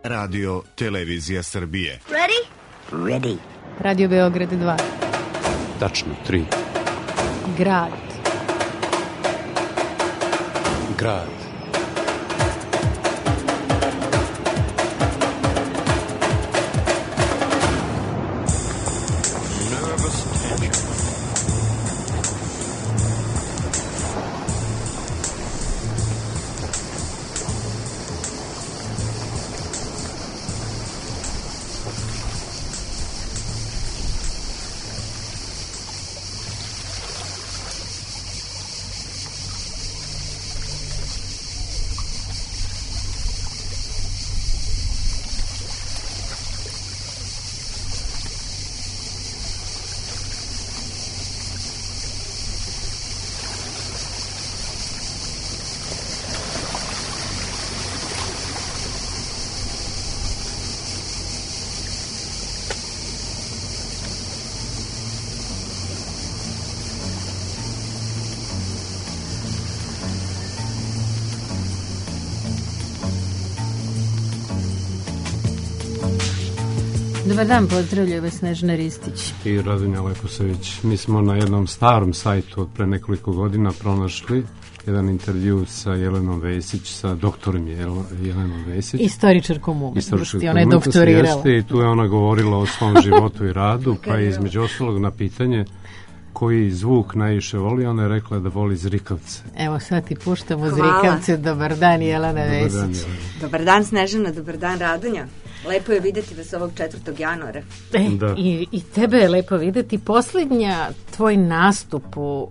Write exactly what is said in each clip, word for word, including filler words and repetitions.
Radio Televizija Srbije. Ready? Ready. Radio Beograd dva. Tačno, tri. Grad. Grad. Dobar dan, pozdravljaju vas Snežana Ristić i Radonja Leposavić. Mi smo na jednom starom sajtu od pre nekoliko godina pronašli jedan intervju sa Jelenom Vesić, sa doktorom Jelenom Vesić. Istoričarkom umetnosti, ona je umetnosti, doktorirala. Jeste, i tu je ona govorila o svom životu i radu, pa je između ostalog na pitanje koji zvuk najviše voli, ona je rekla da voli zrikavce. Evo sad ti puštamo zrikavce. Dobar dan, Jelena Vesić. Dobar dan, Jelena. Dobar dan, Snežana, dobar dan, Radonja. Lepo je videti vas ovog četvrtog januara. E, da. i, I tebe je lepo videti. Poslednja tvoj nastup u uh,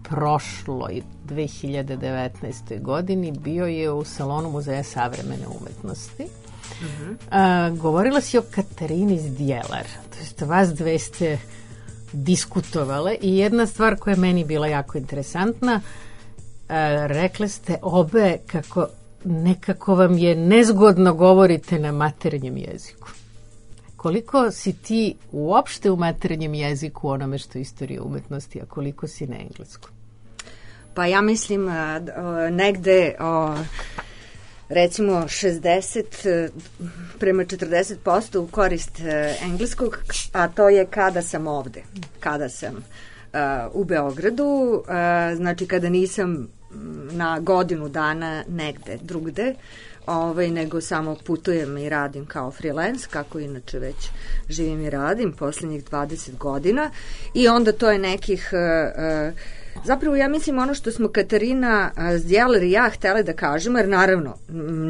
prošloj dve hiljade devetnaestoj godini bio je u Salonu Muzeja savremene umetnosti. Uh-huh. Uh, govorila si o Katarini Zdjelar. To jest, vas dve ste diskutovale i jedna stvar koja je meni bila jako interesantna, uh, rekle ste obe kako nekako vam je nezgodno govorite na maternjem jeziku. Koliko si ti uopšte u maternjem jeziku onome što je istorija umetnosti, a koliko si na engleskom? Pa ja mislim uh, negde uh, recimo šezdeset prema četrdeset posto u korist uh, engleskog, a to je kada sam ovde, kada sam uh, u Beogradu, uh, znači kada nisam na godinu dana negde drugde, ovaj, nego samo putujem i radim kao freelance, kako inače već živim i radim poslednjih dvadeset godina, i onda to je nekih uh, uh, zapravo ja mislim ono što smo Katarina Zdjelar i ja htjeli da kažemo, jer naravno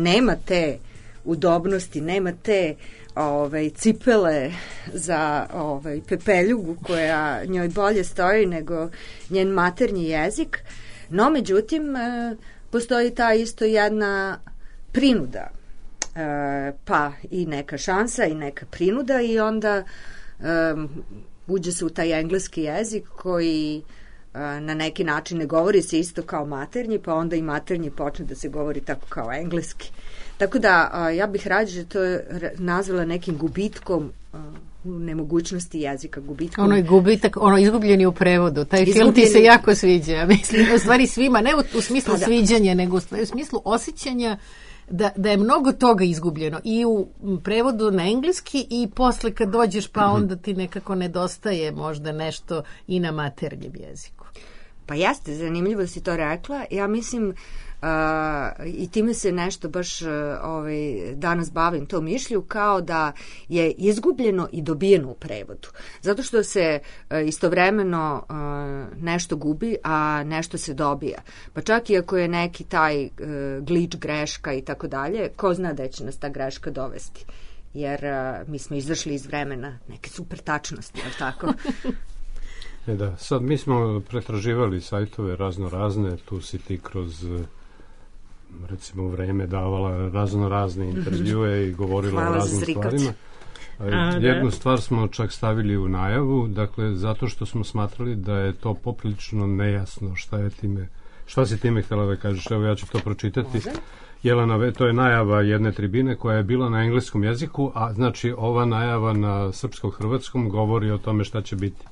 nema te udobnosti, nema te ovaj, cipele za ovaj, pepeljugu koja njoj bolje stoji nego njen maternji jezik. No, međutim, postoji ta isto jedna prinuda, pa i neka šansa i neka prinuda, i onda um, uđe se u taj engleski jezik koji uh, na neki način ne govori se isto kao maternji, pa onda i maternji počne da se govori tako kao engleski. Tako da uh, ja bih rađe to nazvala nekim gubitkom uh, nemogućnosti jezika, gubitkom. Ono je gubitak, ono izgubljeni u prevodu. Taj izgubljeni... film ti se jako sviđa, ja mislim, u stvari svima, ne u, u smislu pa da. sviđanja, nego u, stvari, u smislu osjećanja da, da je mnogo toga izgubljeno i u prevodu na engleski, i posle kad dođeš pa onda ti nekako nedostaje možda nešto i na maternjem jeziku. Pa jeste, zanimljivo si to rekla. Ja mislim Uh, i time se nešto baš uh, ovaj, danas bavim tom mišlju, kao da je izgubljeno i dobijeno u prevodu. Zato što se uh, istovremeno uh, nešto gubi, a nešto se dobija. Pa čak i ako je neki taj uh, glič, greška i tako dalje, ko zna da će nas ta greška dovesti. Jer uh, mi smo izašli iz vremena neke super tačnosti, je li tako? E da, sad mi smo pretraživali sajtove razno razne, tu si ti kroz recimo vreme davala razno razne intervjue i govorila Hvala o raznim stvarima. A, Jednu da. stvar smo čak stavili u najavu, dakle zato što smo smatrali da je to poprilično nejasno šta je time, šta si time htjela da kažeš. Evo ja ću to pročitati. Može? Jelena, to je najava jedne tribine koja je bila na engleskom jeziku, a znači ova najava na srpsko-hrvatskom govori o tome šta će biti.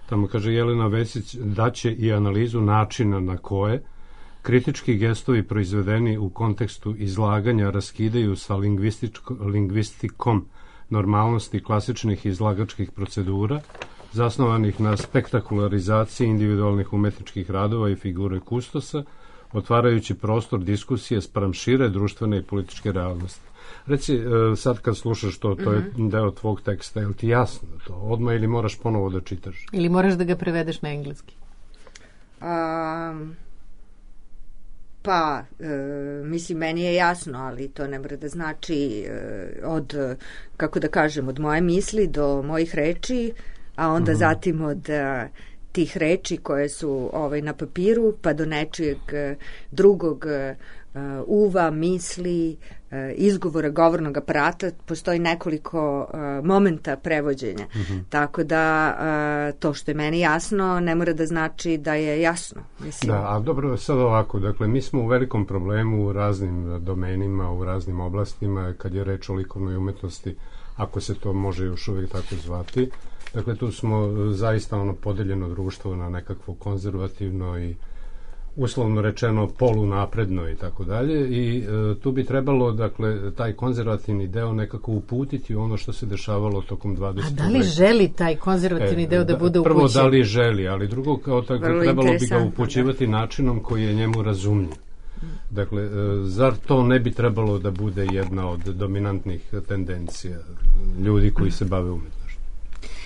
Tamo kaže Jelena Vesić daće i analizu načina na koje kritički gestovi proizvedeni u kontekstu izlaganja raskidaju sa lingvistikom normalnosti klasičnih izlagačkih procedura, zasnovanih na spektakularizaciji individualnih umetničkih radova i figure kustosa, otvarajući prostor diskusije spram šire društvene i političke realnosti. Reci, sad kad slušaš to, to je deo tvog teksta, je li ti jasno to odmah ili moraš ponovo da čitaš? Ili moraš da ga prevedeš na engleski? Um, pa, e, mislim, meni je jasno, ali to ne mora da znači e, od, kako da kažem, od moje misli do mojih reči, a onda uh-huh. zatim od a, tih reči koje su ovaj, na papiru, pa do nečijeg drugog a, uva, misli, a, izgovora govornog aparata, postoji nekoliko a, momenta prevođenja. Uh-huh. Tako da a, to što je meni jasno ne mora da znači da je jasno. Mislim. Da, a dobro, sad ovako, dakle, mi smo u velikom problemu u raznim domenima, u raznim oblastima, kad je reč o likovnoj umetnosti, ako se to može još uvijek tako zvati. Dakle, tu smo zaista ono podeljeno društvo na nekakvo konzervativno i uslovno rečeno polunapredno i tako dalje i e, tu bi trebalo, dakle, taj konzervativni deo nekako uputiti ono što se dešavalo tokom dvadesetog A da li veka. Želi taj konzervativni e, deo da, da bude upućen? Prvo, da li želi, ali drugo, kao tako, trebalo bi ga upućivati da. načinom koji je njemu razumljiv. Dakle, e, zar to ne bi trebalo da bude jedna od dominantnih tendencija ljudi koji se bave umetnošću?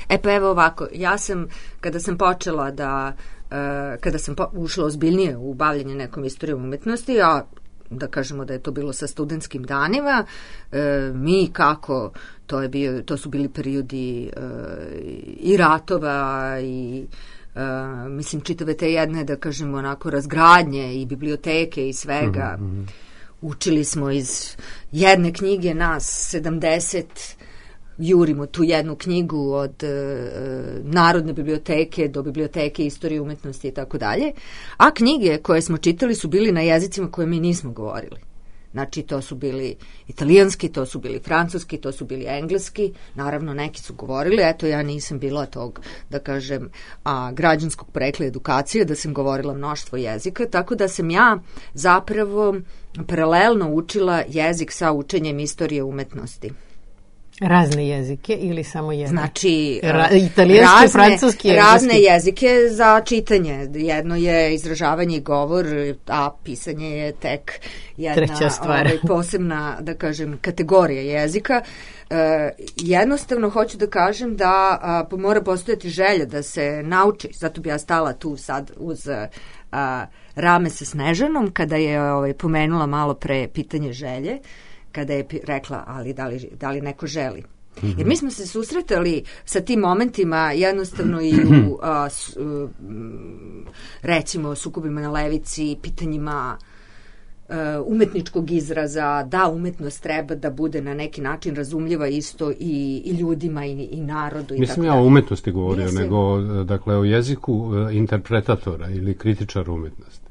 E pa evo ovako, ja sam, kada sam počela da, uh, kada sam po, ušla ozbiljnije u bavljanje nekom istorijom umetnosti, a da kažemo da je to bilo sa studentskim danima, uh, mi kako, to, je bio, to su bili periodi uh, i ratova i Uh, mislim, čitave te jedne, da kažemo, onako, razgradnje i biblioteke i svega. Mm-hmm. Učili smo iz jedne knjige nas sedamdeset, jurimo tu jednu knjigu od uh, Narodne biblioteke do Biblioteke istorije umetnosti i tako dalje. A knjige koje smo čitali su bili na jezicima koje mi nismo govorili. Znači, to su bili italijanski, to su bili francuski, to su bili engleski. Naravno, neki su govorili, eto, ja nisam bila tog, da kažem, a, građanskog porekla edukacije, da sam govorila mnoštvo jezika, tako da sam ja zapravo paralelno učila jezik sa učenjem istorije umetnosti. Razne jezike ili samo jedan? Znači, Ra- italijanski, razne, francuski, engleski? Razne jezike za čitanje. Jedno je izražavanje i govor, a pisanje je tek jedna ovaj, posebna, da kažem, kategorija jezika. E, jednostavno hoću da kažem da a, mora postojati želja da se nauči. Zato bi ja stala tu sad uz a, rame sa Snežanom, kada je ovaj, pomenula malo pre pitanje želje, kada je rekla, ali da li, da li neko želi. Mm-hmm. Jer mi smo se susretali sa tim momentima jednostavno i u, a, s, u, recimo, sukobima na levici, pitanjima a, umetničkog izraza, da umetnost treba da bude na neki način razumljiva isto i, i ljudima i, i narodu. I Mislim, ja o umetnosti govorio, Mislim. nego dakle, o jeziku interpretatora ili kritičara umetnosti.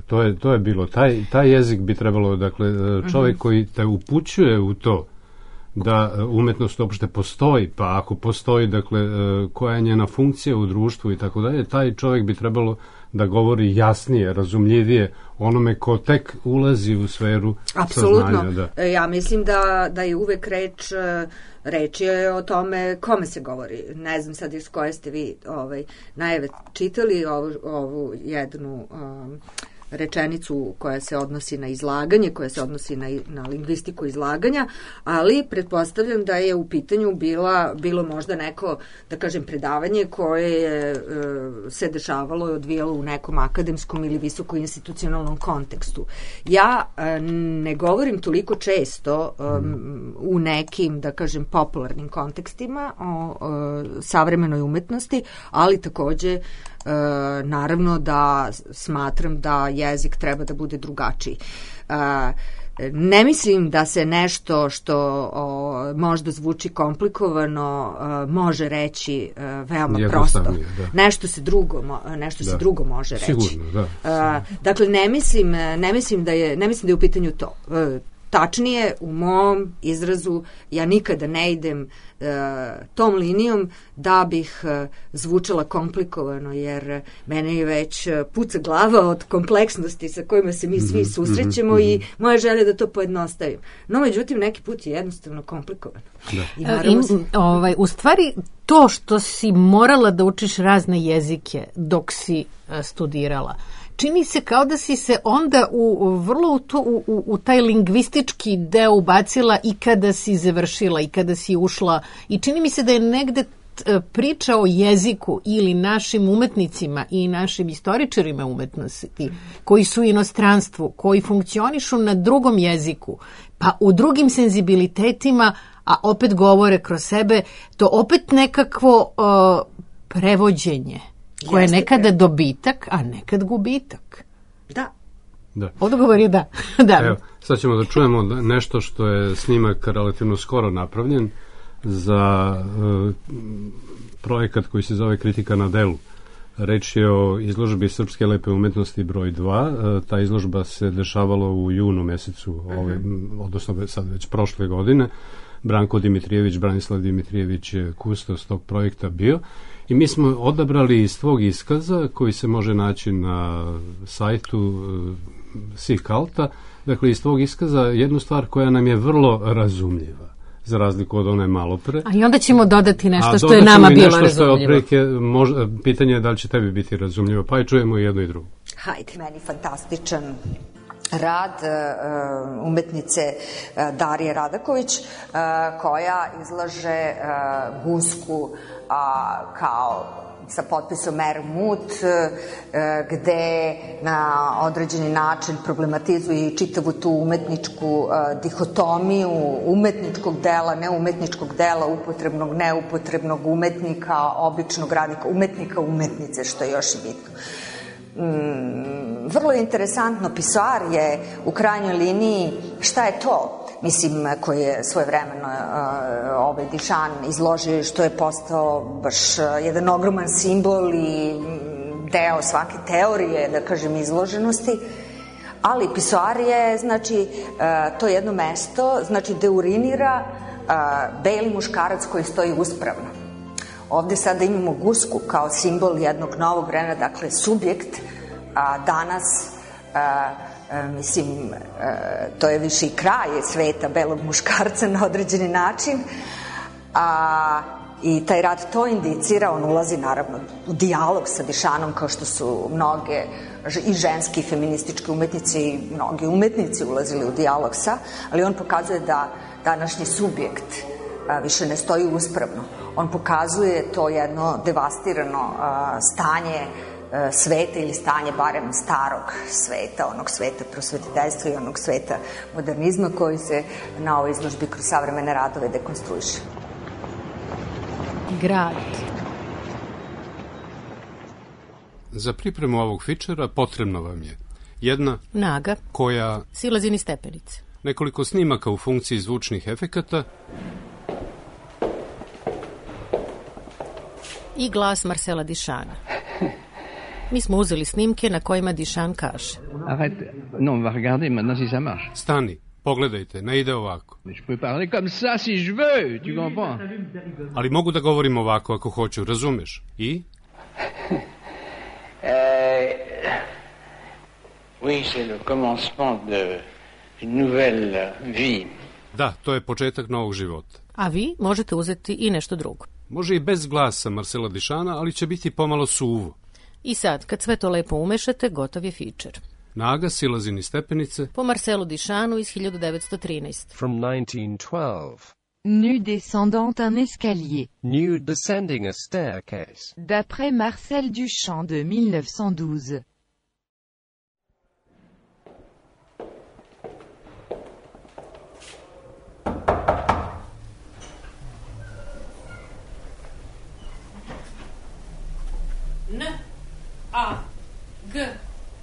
To je, to je bilo, taj, taj jezik bi trebalo, dakle, čovjek uh-huh. koji te upućuje u to da umetnost uopšte postoji, pa ako postoji, dakle, koja je njena funkcija u društvu i tako dalje, taj čovjek bi trebalo da govori jasnije, razumljivije onome ko tek ulazi u sferu Apsolutno. saznanja. Da. Ja mislim da, da je uvek reč, reč je o tome kome se govori. Ne znam sad iz koje ste vi ovaj, najave čitali ovu, ovu jednu um, rečenicu koja se odnosi na izlaganje, koja se odnosi na, na lingvistiku izlaganja, ali pretpostavljam da je u pitanju bila, bilo možda neko, da kažem, predavanje koje je e, se dešavalo i odvijalo u nekom akademskom ili visoko institucionalnom kontekstu. Ja e, ne govorim toliko često e, u nekim, da kažem, popularnim kontekstima o, o savremenoj umetnosti, ali takođe E, naravno da smatram da jezik treba da bude drugačiji. E, ne mislim da se nešto što o, možda zvuči komplikovano e, može reći e, veoma prosto. Da. Nešto se drugo nešto da. se drugo može reći. Sigurno, da. E, dakle ne mislim ne mislim da je ne mislim da je u pitanju to. E, tačnije, u mom izrazu, ja nikada ne idem e, tom linijom da bih e, zvučala komplikovano, jer mene je već puca glava od kompleksnosti sa kojima se mi svi susrećemo mm-hmm. i moja želja da to pojednostavim. No, međutim, neki put je jednostavno komplikovano. Da. I I, se... ovaj, u stvari, to što si morala da učiš razne jezike dok si a, studirala, čini se kao da si se onda u, vrlo u, to, u, u taj lingvistički deo ubacila i kada si završila i kada si ušla. I čini mi se da je negde priča o jeziku ili našim umetnicima i našim istoričarima umetnosti koji su u inostranstvu, koji funkcionišu na drugom jeziku, pa u drugim senzibilitetima, a opet govore kroz sebe, to opet nekakvo uh, prevođenje koje je nekada dobitak, a nekad gubitak. Da. Da. Odgovor je da. da. Evo, sad ćemo da čujemo nešto što je snimak relativno skoro napravljen za uh, projekat koji se zove Kritika na delu. Reč je o izložbi Srpske lepe umetnosti broj dva. Uh, ta izložba se dešavala u junu mesecu, ove, uh-huh. odnosno sad već prošle godine. Branko Dimitrijević, Branislav Dimitrijević je kustos tog projekta bio. I mi smo odabrali iz tvog iskaza, koji se može naći na sajtu uh, Sikalta, dakle iz tvog iskaza jednu stvar koja nam je vrlo razumljiva, za razliku od one malo pre. A i onda ćemo dodati nešto što je nama bilo razumljivo. Što je otprilike, možda, pitanje je da li će tebi biti razumljivo, pa i čujemo i jedno i drugo. Hajde, meni fantastičan rad uh, umetnice uh, Darije Radaković, uh, koja izlaže uh, Gusku a, kao sa potpisom Mermut, gde na određeni način problematizuje i čitavu tu umetničku dihotomiju umetničkog dela, neumetničkog dela, upotrebnog, neupotrebnog umetnika, običnog radnika, umetnika, umetnice, što je još i bitno. Mm, vrlo interesantno, pisoar je u krajnjoj liniji, šta je to? Mislim, koji je svojevremeno uh, ovaj Dišan izložio, što je postao baš uh, jedan ogroman simbol i deo svake teorije, da kažem, izloženosti, ali pisoar je, znači, uh, to jedno mesto, znači, gde urinira uh, beli muškarac koji stoji uspravno. Ovde sada imamo Gusku kao simbol jednog novog vremena, dakle, subjekt, a danas uh, E, mislim, e, to je više i kraj sveta belog muškarca na određeni način, a, i taj rad to indicira, on ulazi naravno u dijalog sa Dišanom, kao što su mnoge i ženski feminističke umetnice i mnogi umetnici ulazili u dijalog sa, ali on pokazuje da današnji subjekt a, više ne stoji uspravno. On pokazuje to jedno devastirano a, stanje sveta ili stanje barem starog sveta, onog sveta prosvetiteljstva i onog sveta modernizma koji se na ovoj izložbi kroz savremene radove dekonstruiše. Grad. Za pripremu ovog fičera potrebno vam je jedna Naga, koja silazi niz stepenice, nekoliko snimaka u funkciji zvučnih efekata i glas Marcela Dišana. Mi smo uzeli snimke na kojima Dišan kaže: Arrête, non, va regarder maintenant si ça marche. Stani, pogledajte, ne ide ovako. Je peux parler comme ça si je veux, tu comprends? Ali mogu da govorim ovako ako hoću, razumeš? I? euh, oui, c'est le commencement de une nouvelle vie. Da, to je početak novog života. A vi možete uzeti i nešto drugo. Može i bez glasa Marcela Dišana, ali će biti pomalo suvo. I sad, kad sve to lepo umešate, gotov je fičer. Naga silazi niz stepenice po Marcelu Dišanu iz hiljadu devetsto trinaeste. From nineteen twelve. Nu descendant un escalier. Nude descending a staircase. D'après Marcel Duchamp de mille neuf cent douze. N, A, G,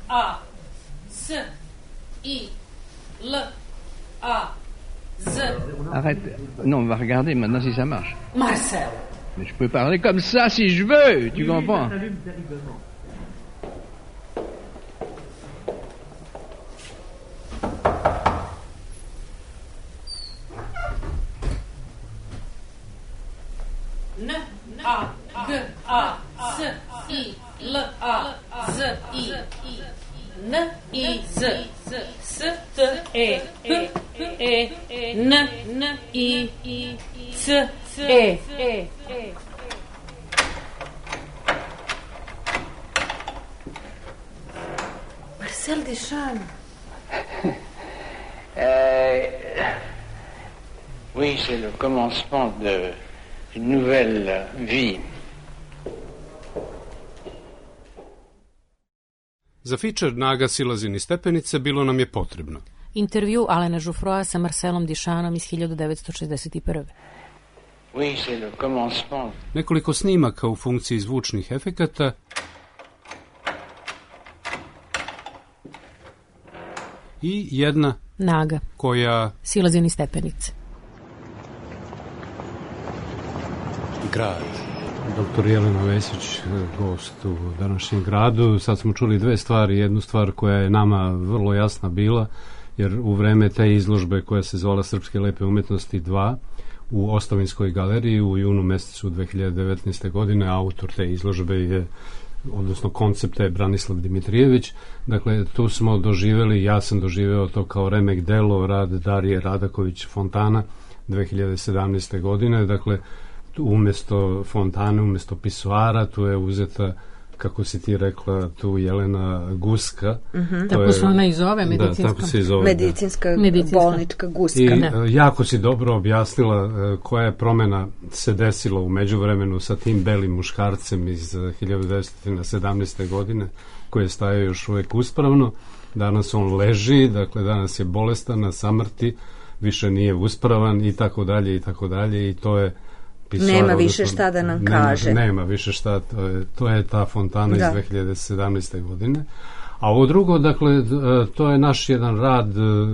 A, S, I, L, A, Z. Arrête, non, va regarder maintenant si ça marche. Marcel. Mais je peux parler comme ça si je veux, tu comprends? N, A, G, A, S, I, L, A, Z, I, N, I, Z, S, T, E, P, E, N, N, I, C, E, E, Marcel Duchamp. Euh, oui, c'est le commencement d'une nouvelle vie. Za feature Naga silazi niz stepenice bilo nam je potrebno. Intervju Alena Jouffroa sa Marcelom Duchampom iz hiljadu devetsto šezdeset prve. Oui, c'est le commencement. Nekoliko snimaka u funkciji zvučnih efekata i jedna Naga koja silazi niz stepenice. Grad. Doktor Jelena Vesić, gost u današnjem gradu. Sad smo čuli dve stvari. Jednu stvar koja je nama vrlo jasna bila, jer u vreme te izložbe koja se zvala Srpske lepe umetnosti dva u Ostavinskoj galeriji u junu mesecu dve hiljade devetnaeste. godine, autor te izložbe je, odnosno koncepta je Branislav Dimitrijević. Dakle, tu smo doživjeli, ja sam doživeo to kao remek delo, rad Darije Radaković Fontana dve hiljade sedamnaeste. godine. Dakle, umjesto fontane, umjesto pisoara, tu je uzeta, kako si ti rekla, tu Jelena Guska. Mm-hmm. Tako se ona i zove, medicinska. Da, tako se i zove, medicinska, da. medicinska bolnička Guska. I ne. jako si dobro objasnila koja je promjena se desila u međuvremenu sa tim belim muškarcem iz hiljadu devetsto sedamnaeste. godine, koji je stajao još uvijek uspravno. Danas on leži, dakle danas je bolestan, na samrti, više nije uspravan i tako dalje i tako dalje i to je pisar, nema više odnosno, šta da nam nema, kaže. Nema više šta, to je, to je ta fontana da. iz dve hiljade sedamnaeste. godine. A ovo drugo, dakle, to je naš jedan rad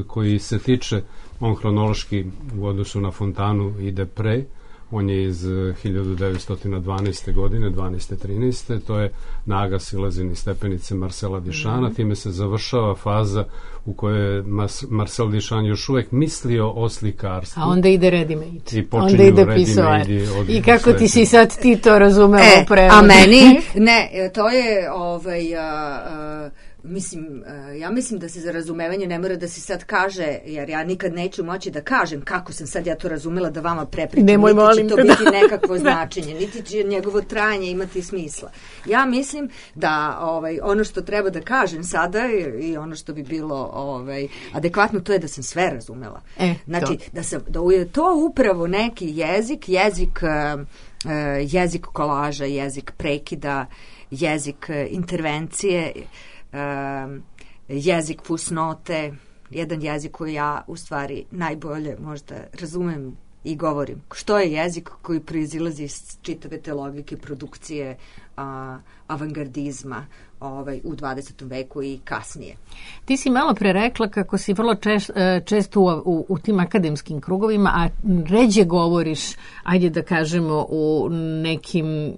koji se tiče, on hronološki u odnosu na fontanu ide pre, on je iz hiljadu devetsto dvanaeste. godine, dvanaeste trinaeste. To je Naga silazi niz stepenice Marcela Duchampa, mm-hmm. time se završava faza u kojoj je Marcel Duchamp još uvijek mislio o slikarstvu. A onda ide ready-made. I počinju onda ide ready-made. I kako ti si sad ti to razumeo e, prevod? A meni, ne, to je ovaj... A, a, Mislim, ja mislim da se za razumevanje ne mora da se sad kaže, jer ja nikad neću moći da kažem kako sam sad ja to razumela da vama prepričam. Nemoj, niti će to da. biti nekakvo značenje, niti će njegovo trajanje imati smisla. Ja mislim da ovaj, ono što treba da kažem sada i ono što bi bilo ovaj, adekvatno, to je da sam sve razumela. E, znači, to. da, sam, da je to upravo neki jezik, jezik, uh, jezik kolaža, jezik prekida, jezik intervencije, Um, jezik fusnote, jedan jezik koji ja u stvari najbolje možda razumem i govorim. Što je jezik koji proizilazi iz čitave te logike produkcije a, avangardizma ovaj, u dvadesetom veku i kasnije. Ti si malo pre rekla kako si vrlo češ, često u, u, u tim akademskim krugovima, a ređe govoriš, ajde da kažemo, u nekim,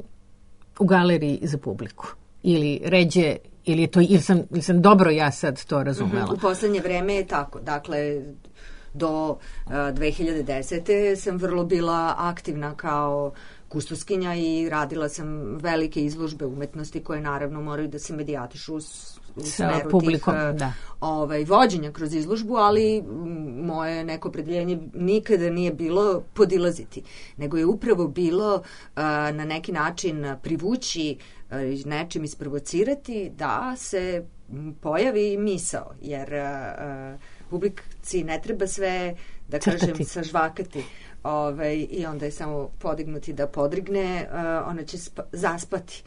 u galeriji za publiku. Ili ređe Ili, je to, ili, sam, ili sam dobro ja sad to razumela? Mm-hmm. U poslednje vreme je tako. Dakle, do uh, dve hiljade desete. sam vrlo bila aktivna kao kustoskinja i radila sam velike izložbe umetnosti koje naravno moraju da se medijatišu s, u smeru publikom, tih da. ovaj, vođenja kroz izložbu, ali m, moje neko opredeljenje nikada nije bilo podilaziti, nego je upravo bilo uh, na neki način privući, uh, nečim isprovocirati da se pojavi misao, jer uh, publici ne treba sve, da Crtati. kažem, sažvakati. Ovaj, i onda je samo podignuti da podrigne, uh, ona će spa, zaspati.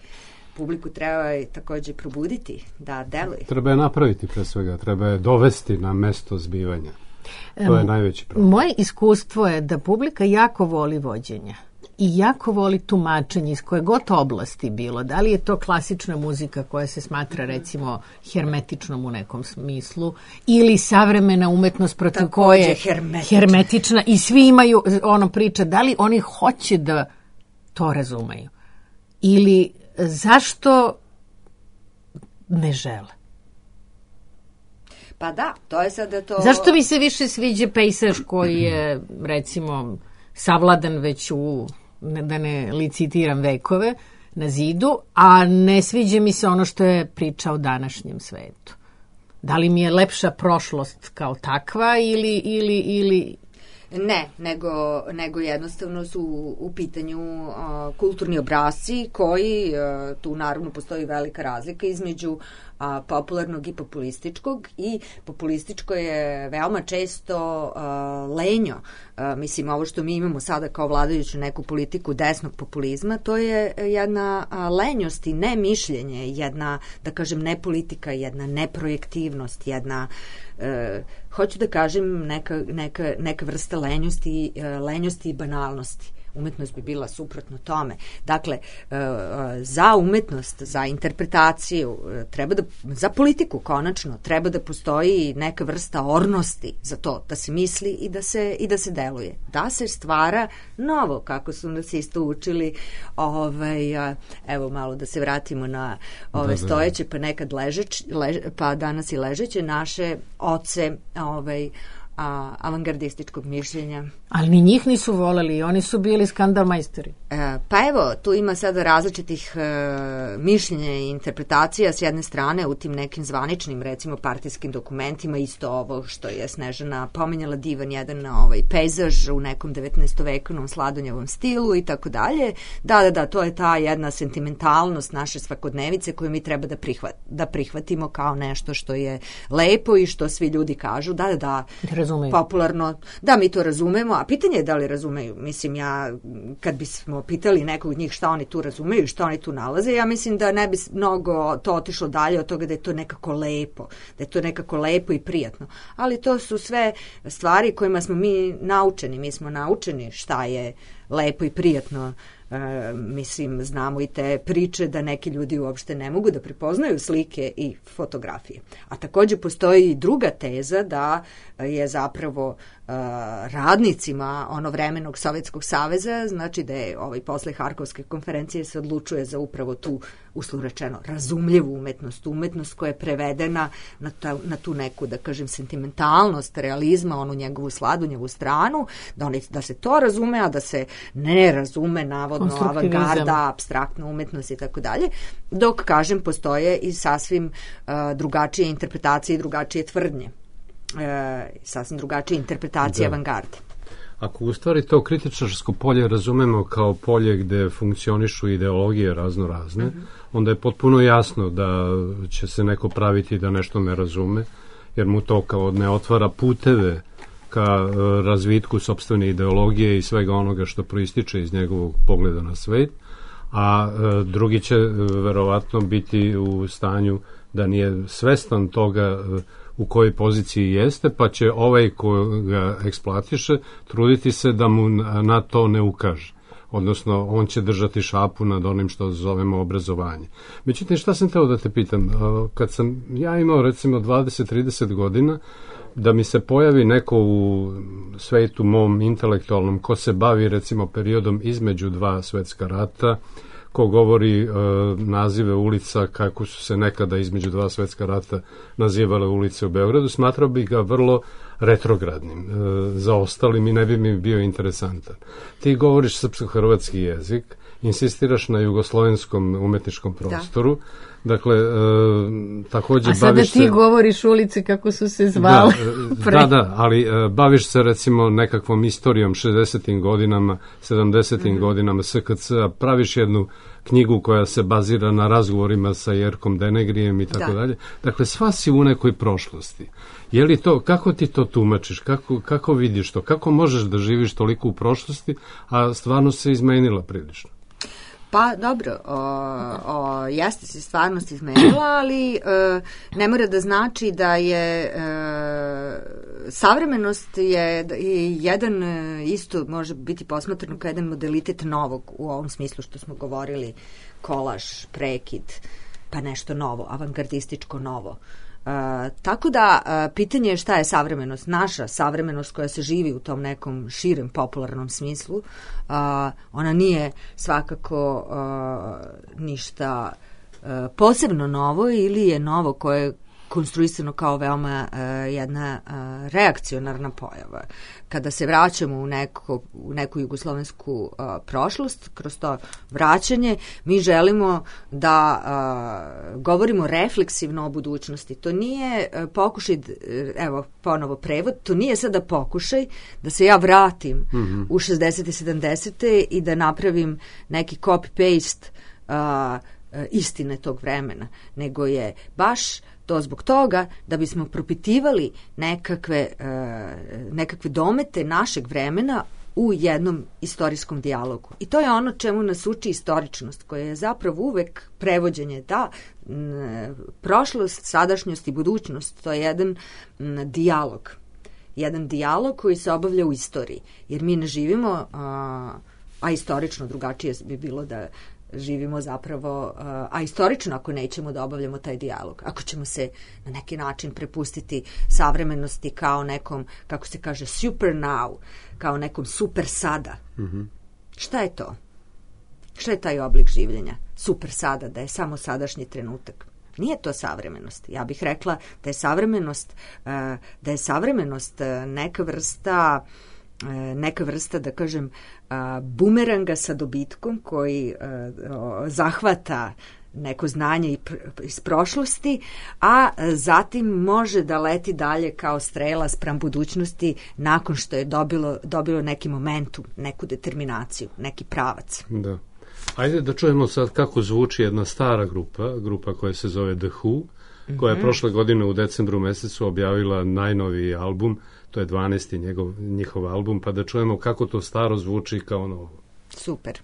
Publiku treba je također probuditi da deluje. Treba je napraviti pre svega, treba je dovesti na mesto zbivanja. To je um, najveći problem. Moje iskustvo je da publika jako voli vođenja i jako voli tumačenje iz koje god oblasti bilo. Da li je to klasična muzika koja se smatra recimo hermetičnom u nekom smislu ili savremena umetnost protiv također koje je hermetična. hermetična i svi imaju ono priča, da li oni hoće da to razumeju ili zašto ne žele? Pa da, to je sada to... Zašto mi se više sviđa pejsaž koji je, recimo, savladan već u ne, da ne licitiram vekove, na zidu, a ne sviđa mi se ono što je priča o današnjem svetu. Da li mi je lepša prošlost kao takva ili... ili, ili Ne, nego, nego jednostavno su u pitanju a, kulturni obrasci koji, a, tu naravno postoji velika razlika između a, popularnog i populističkog, i populističko je veoma često a, lenjo. A, mislim, ovo što mi imamo sada kao vladajuću neku politiku desnog populizma, to je jedna a, lenjost i ne mišljenje, jedna, da kažem, ne politika, jedna neprojektivnost, jedna... E, hoću da kažem neka, neka, neka vrsta lenjosti, lenjosti i banalnosti. Umetnost bi bila suprotno tome. Dakle, za umetnost, za interpretaciju, treba da, za politiku konačno, treba da postoji neka vrsta ornosti za to, da se misli i da se, i da se deluje. Da se stvara novo, kako su nas isto učili, ovaj, evo malo da se vratimo na ove stojeće, pa nekad ležeć, lež, pa danas i ležeće, naše oce, ovaj, a, avangardističkog mišljenja. Ali ni njih nisu voleli, oni su bili skandalmajstori. E, pa evo, tu ima sada različitih e, mišljenja i interpretacija s jedne strane u tim nekim zvaničnim, recimo, partijskim dokumentima, isto ovo što je Snežana pominjala, divan jedan ovaj, pejzaž u nekom devetnaestovekovnom sladonjevom stilu i tako dalje. Da, da, da, to je ta jedna sentimentalnost naše svakodnevice koju mi treba da, prihvat, da prihvatimo kao nešto što je lepo i što svi ljudi kažu, da, da, da, razumeju. Popularno, da, mi to razumemo, a pitanje je da li razumeju. Mislim, ja, kad bismo pitali nekog od njih šta oni tu razumeju i šta oni tu nalaze, ja mislim da ne bi mnogo to otišlo dalje od toga da je to nekako lepo, da je to nekako lepo i prijatno. Ali to su sve stvari kojima smo mi naučeni. Mi smo naučeni šta je lepo i prijatno. E, mislim, znamo i te priče da neki ljudi uopšte ne mogu da prepoznaju slike i fotografije. A takođe postoji i druga teza da je zapravo e, radnicima onovremenog Sovjetskog saveza, znači da je ovaj, posle Harkovske konferencije se odlučuje za upravo tu, uslovno rečeno, razumljivu umetnost, umetnost koja je prevedena na, ta, na tu neku, da kažem, sentimentalnost realizma, onu njegovu sladunjevu stranu, da, oni, da se to razume, a da se ne razume navodno avangarda, apstraktna umetnost i tako dalje, dok, kažem, postoje i sasvim uh, drugačije interpretacije i drugačije tvrdnje. Uh, sasvim drugačije interpretacije da. Avangarde. Ako u stvari to kritičarsko polje razumemo kao polje gde funkcionišu ideologije razno razne, mm-hmm. onda je potpuno jasno da će se neko praviti da nešto ne razume, jer mu to kao ne otvara puteve ka razvitku sopstvene ideologije i svega onoga što proističe iz njegovog pogleda na svet, a drugi će verovatno biti u stanju da nije svestan toga u kojoj poziciji jeste, pa će ovaj ko ga eksploatiše truditi se da mu na to ne ukaže. Odnosno, on će držati šapu nad onim što zovemo obrazovanje. Međutim, šta sam teo da te pitam? Kad sam ja imao recimo dvadeset trideset godina, da mi se pojavi neko u svetu mom intelektualnom ko se bavi recimo periodom između dva svetska rata, ko govori e, nazive ulica kako su se nekada između dva svetska rata nazivale ulice u Beogradu, smatrao bih ga vrlo retrogradnim, e, zaostalim i ne bi mi bio interesantan. Ti govoriš srpsko-hrvatski jezik, insistiraš na jugoslovenskom umetničkom prostoru, da. Dakle, e, takođe baviš se... A sada ti se... govoriš ulice kako su se zvale. Da, da, da, ali e, baviš se recimo nekakvom istorijom šezdesetim godinama, sedamdesetim mm-hmm. godinama S K C-a, praviš jednu knjigu koja se bazira na razgovorima sa Jerkom Denegrijem i tako da. dalje. Dakle, sva si u nekoj prošlosti. Je li to, kako ti to tumačiš, kako, kako vidiš to, kako možeš da živiš toliko u prošlosti, a stvarno se izmenila prilično? Pa dobro, o, o, jeste se stvarnost izmenila, ali e, ne mora da znači da je e, savremenost je jedan isto može biti posmatrano kao jedan modalitet novog u ovom smislu što smo govorili, kolaž, prekid, pa nešto novo, avangardističko novo. Uh, tako da uh, pitanje je šta je savremenost, naša savremenost koja se živi u tom nekom širem popularnom smislu, uh, ona nije svakako uh, ništa uh, posebno novo ili je novo koje konstruisano kao veoma uh, jedna uh, reakcionarna pojava. Kada se vraćamo u, neko, u neku jugoslovensku uh, prošlost, kroz to vraćanje, mi želimo da uh, govorimo refleksivno o budućnosti. To nije uh, pokušaj, evo, ponovo prevod, to nije sada pokušaj da se ja vratim mm-hmm. u šezdesete, sedamdesete i da napravim neki copy-paste uh, istine tog vremena, nego je baš to zbog toga da bismo propitivali nekakve, nekakve domete našeg vremena u jednom istorijskom dijalogu. I to je ono čemu nas uči istoričnost, koja je zapravo uvek prevođenje da prošlost, sadašnjost i budućnost, to je jedan dijalog. Jedan dijalog koji se obavlja u istoriji. Jer mi ne živimo, a, a istorično drugačije bi bilo da živimo zapravo, a istorično ako nećemo da obavljamo taj dijalog, ako ćemo se na neki način prepustiti savremenosti kao nekom, kako se kaže, super now, kao nekom super sada. Mm-hmm. Šta je to? Šta je taj oblik življenja? Super sada, da je samo sadašnji trenutak. Nije to savremenost. Ja bih rekla da je savremenost, da je savremenost neka vrsta neka vrsta, da kažem, bumeranga sa dobitkom koji zahvata neko znanje iz prošlosti, a zatim može da leti dalje kao strela spram budućnosti nakon što je dobilo, dobilo neki momentum, neku determinaciju, neki pravac. Da. Ajde da čujemo sad kako zvuči jedna stara grupa, grupa koja se zove The Who, koja je prošle godine u decembru mesecu objavila najnoviji album, to je dvanaesti njegov, njihov album, pa da čujemo kako to staro zvuči kao novo. Super.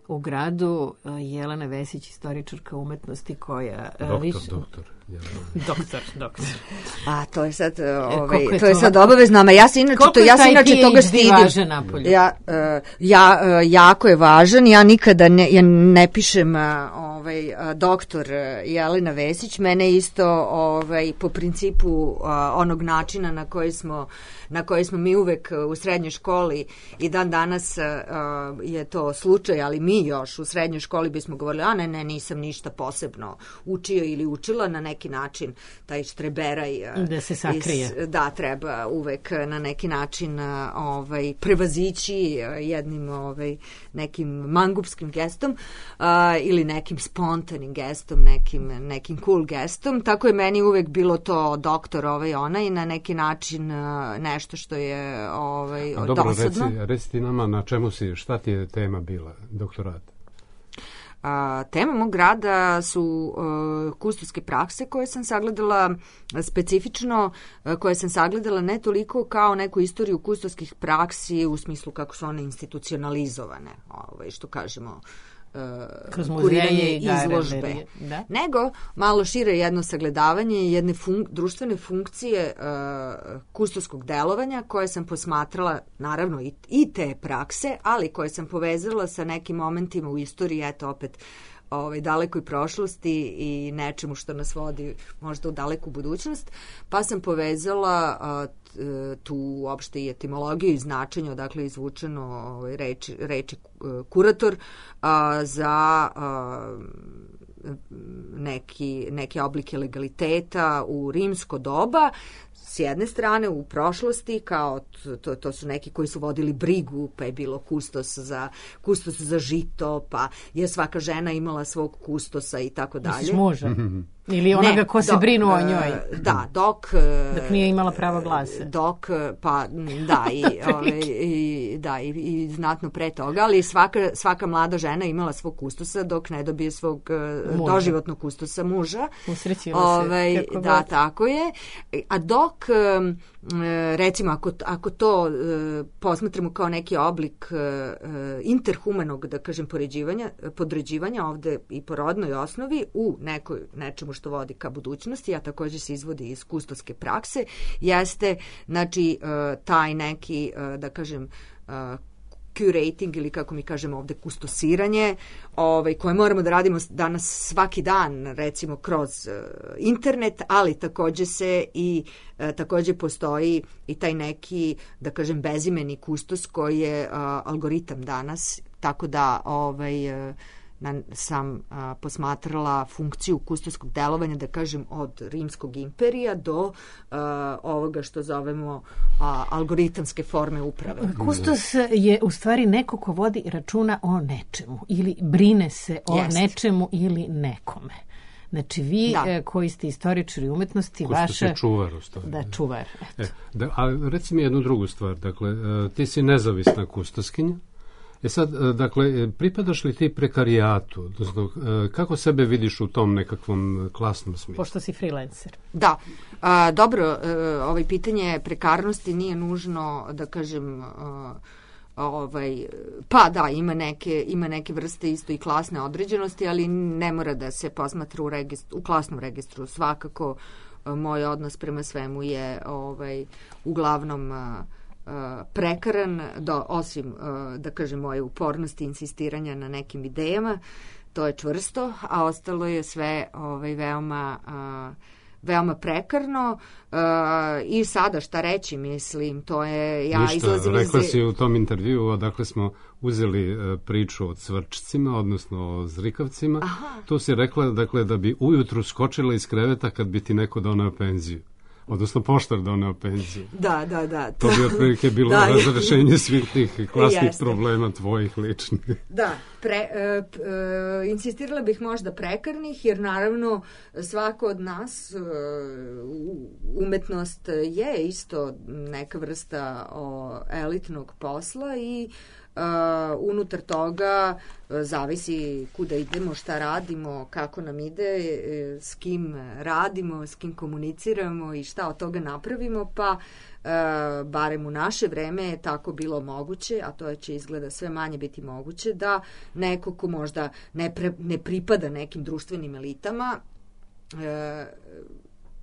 u gradu, Jelena Vesić, istoričarka umetnosti koja... Doktor, viš... doktor. doktor, doktor. A, to je sad, ovaj, je to je to sad obavezno, a ja se inače, to, ja se inače toga stidim. Koliko je taj P H D važan napolju? Ja, uh, ja, uh, jako je važan, ja nikada ne, ja ne pišem uh, ovaj, uh, doktor Jelena Vesić, mene isto ovaj, po principu uh, onog načina na koji smo na koji smo mi uvek u srednjoj školi i dan danas uh, je to slučaj, ali mi još u srednjoj školi bismo govorili, a ne, ne, nisam ništa posebno učio ili učila na neki način, taj štreberaj da se sakrije. Is, da, treba uvek na neki način ovaj, prevazići jednim ovaj, nekim mangupskim gestom uh, ili nekim spontanim gestom, nekim, nekim cool gestom. Tako je meni uvek bilo to doktor ovaj onaj, na neki način uh, nešto što je ovaj, A dobro, dosadno. Reci, reci ti nama na čemu si, šta ti je tema bila doktorat? A, tema mog rada su uh, kustoske prakse koje sam sagledala specifično, uh, koje sam sagledala ne toliko kao neku istoriju kustoskih praksi u smislu kako su one institucionalizovane, ovaj, što kažemo, kroz kuriranje izložbe, da? Nego malo šire jedno sagledavanje jedne fun- društvene funkcije uh, kustoskog delovanja koje sam posmatrala, naravno i, i te prakse, ali koje sam povezala sa nekim momentima u istoriji, eto opet ovaj, dalekoj prošlosti i nečemu što nas vodi možda u daleku budućnost, pa sam povezala uh, tu uopšte i etimologiju i značenje, odakle je izvučeno ovaj, reči, reči kurator a, za a, neki, neke oblike legaliteta u rimsko doba, s jedne strane u prošlosti, kao to, to su neki koji su vodili brigu, pa je bilo kustos za, kustos za žito, pa je svaka žena imala svog kustosa i tako dalje. Misliš muža? Ili onoga ne, ko se dok, brinu o njoj? Da, dok... Dok nije imala pravo glasa. Dok, pa da, i, ove, i, da, i, i znatno pre toga, ali svaka, svaka mlada žena imala svog kustosa dok ne dobije svog muža. Doživotnog kustosa muža. Usrećila ove, se. Kako da, god. tako je. A dok, recimo, ako, ako to posmatramo kao neki oblik interhumanog, da kažem, poređivanja, podređivanja ovde i po rodnoj osnovi u nekoj, nečemu što vodi ka budućnosti, a također se izvodi iz kustoske prakse, jeste, znači, taj neki, da kažem, curating ili kako mi kažemo ovde kustosiranje, ovaj, koje moramo da radimo danas svaki dan, recimo kroz uh, internet, ali također se i uh, također postoji i taj neki, da kažem, bezimeni kustos koji je uh, algoritam danas, tako da ovaj uh, Na, sam a, posmatrala funkciju kustoskog delovanja, da kažem, od rimskog imperija do a, ovoga što zovemo a, algoritamske forme uprave. Kustos je u stvari neko ko vodi računa o nečemu ili brine se o Jest. nečemu ili nekome. Znači vi da. koji ste istoričari umetnosti, Kustos vaša... je čuvar u stvari. Da, čuvar. E, da, a reci mi jednu drugu stvar. Dakle, ti si nezavisna kustoskinja. E sad, dakle, pripadaš li ti prekarijatu? Odnosno, kako sebe vidiš u tom nekakvom klasnom smislu? Pošto si freelancer. Da. A, dobro, ovaj pitanje prekarnosti nije nužno, da kažem, a, ovaj, pa da, ima neke, ima neke vrste isto i klasne određenosti, ali ne mora da se posmatra u, registru, u klasnom registru. Svakako, a, moj odnos prema svemu je ovaj, uglavnom... A, prekaran, do, osim, da kažem, moje upornosti i insistiranja na nekim idejama, to je čvrsto, a ostalo je sve ovaj, veoma, veoma prekarno i sada šta reći, mislim, to je, ja Ništa, izlazim iz... rekla si u tom intervjuu, odakle smo uzeli priču o cvrčcima, odnosno o zrikavcima, Aha. tu si rekla, dakle, da bi ujutru skočila iz kreveta kad bi ti neko doneo penziju. Odnosno poštar doneo penziju. Da, da, da. To, to bi otprilike bilo da, razrešenje svih tih klasnih jeste. problema tvojih ličnih. Da, pre, uh, uh, insistirala bih možda prekarnih, jer naravno svako od nas uh, umetnost je isto neka vrsta o, elitnog posla i Uh, unutar toga uh, zavisi kuda idemo, šta radimo, kako nam ide, uh, s kim radimo, s kim komuniciramo i šta od toga napravimo, pa uh, barem u naše vreme je tako bilo moguće, a to će izgleda sve manje biti moguće, da neko ko možda ne, pre, ne pripada nekim društvenim elitama uh,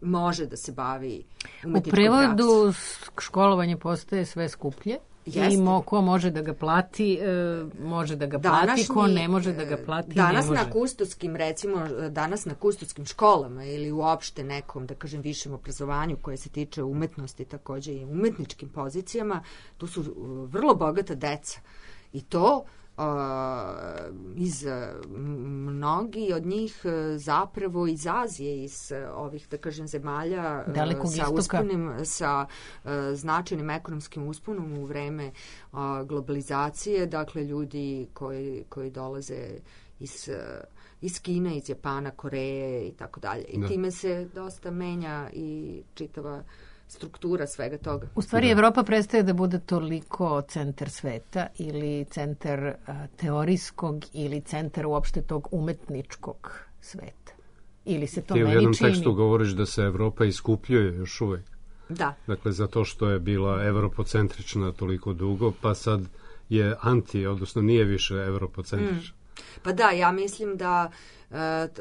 može da se bavi umetničkom praksom. U prevodu školovanje postaje sve skuplje. Jeste. I mo, ko može da ga plati, e, može da ga plati, današnji, ko ne može da ga plati, danas ne može. Na kustoskim, recimo, danas na kustoskim školama ili uopšte nekom, da kažem, višem obrazovanju koje se tiče umetnosti, takođe i umetničkim pozicijama, tu su vrlo bogata deca. I to Uh, iz uh, mnogi od njih uh, zapravo iz Azije, iz uh, ovih, da kažem, zemalja uh, sa usponim, sa uh, značajnim ekonomskim usponom u vreme uh, globalizacije, dakle ljudi koji, koji dolaze iz, uh, iz Kine, iz Japana, Koreje i tako dalje. I time se dosta menja i čitava struktura svega toga. U stvari, Evropa prestaje da bude toliko centar sveta ili centar a, teorijskog ili centar uopšte tog umetničkog sveta. Ili se to Ti meni čini... Ti u jednom tekstu govoriš da se Evropa iskupljuje još uvek. Da. Dakle, zato što je bila evropocentrična toliko dugo, pa sad je anti, odnosno nije više evropocentrična. Mm. Pa da, ja mislim da uh,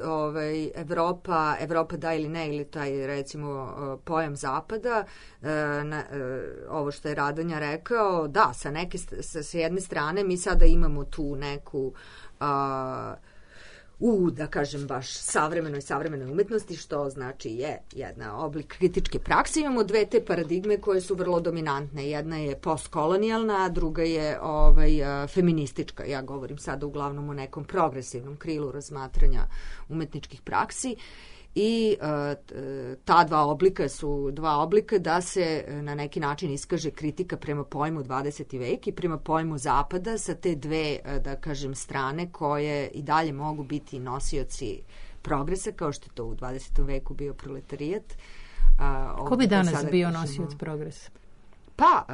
ovaj, Evropa, Evropa da ili ne, ili taj recimo uh, pojam zapada, uh, na, uh, ovo što je Radonja rekao, da, sa, neke, sa, sa jedne strane mi sada imamo tu neku uh, u, da kažem, baš savremenoj, savremenoj umetnosti, što znači je jedna oblik kritičke prakse. Imamo dve te paradigme koje su vrlo dominantne. Jedna je postkolonijalna, a druga je ovaj, feministička. Ja govorim sada uglavnom o nekom progresivnom krilu razmatranja umetničkih praksi. I uh, ta dva oblika su dva oblika da se na neki način iskaže kritika prema pojmu dvadeseti vek i prema pojmu zapada sa te dve, da kažem, strane koje i dalje mogu biti nosioci progresa, kao što je to u dvadesetom veku bio proletarijat. Uh, Ko bi danas bio nosioc progresa? Pa,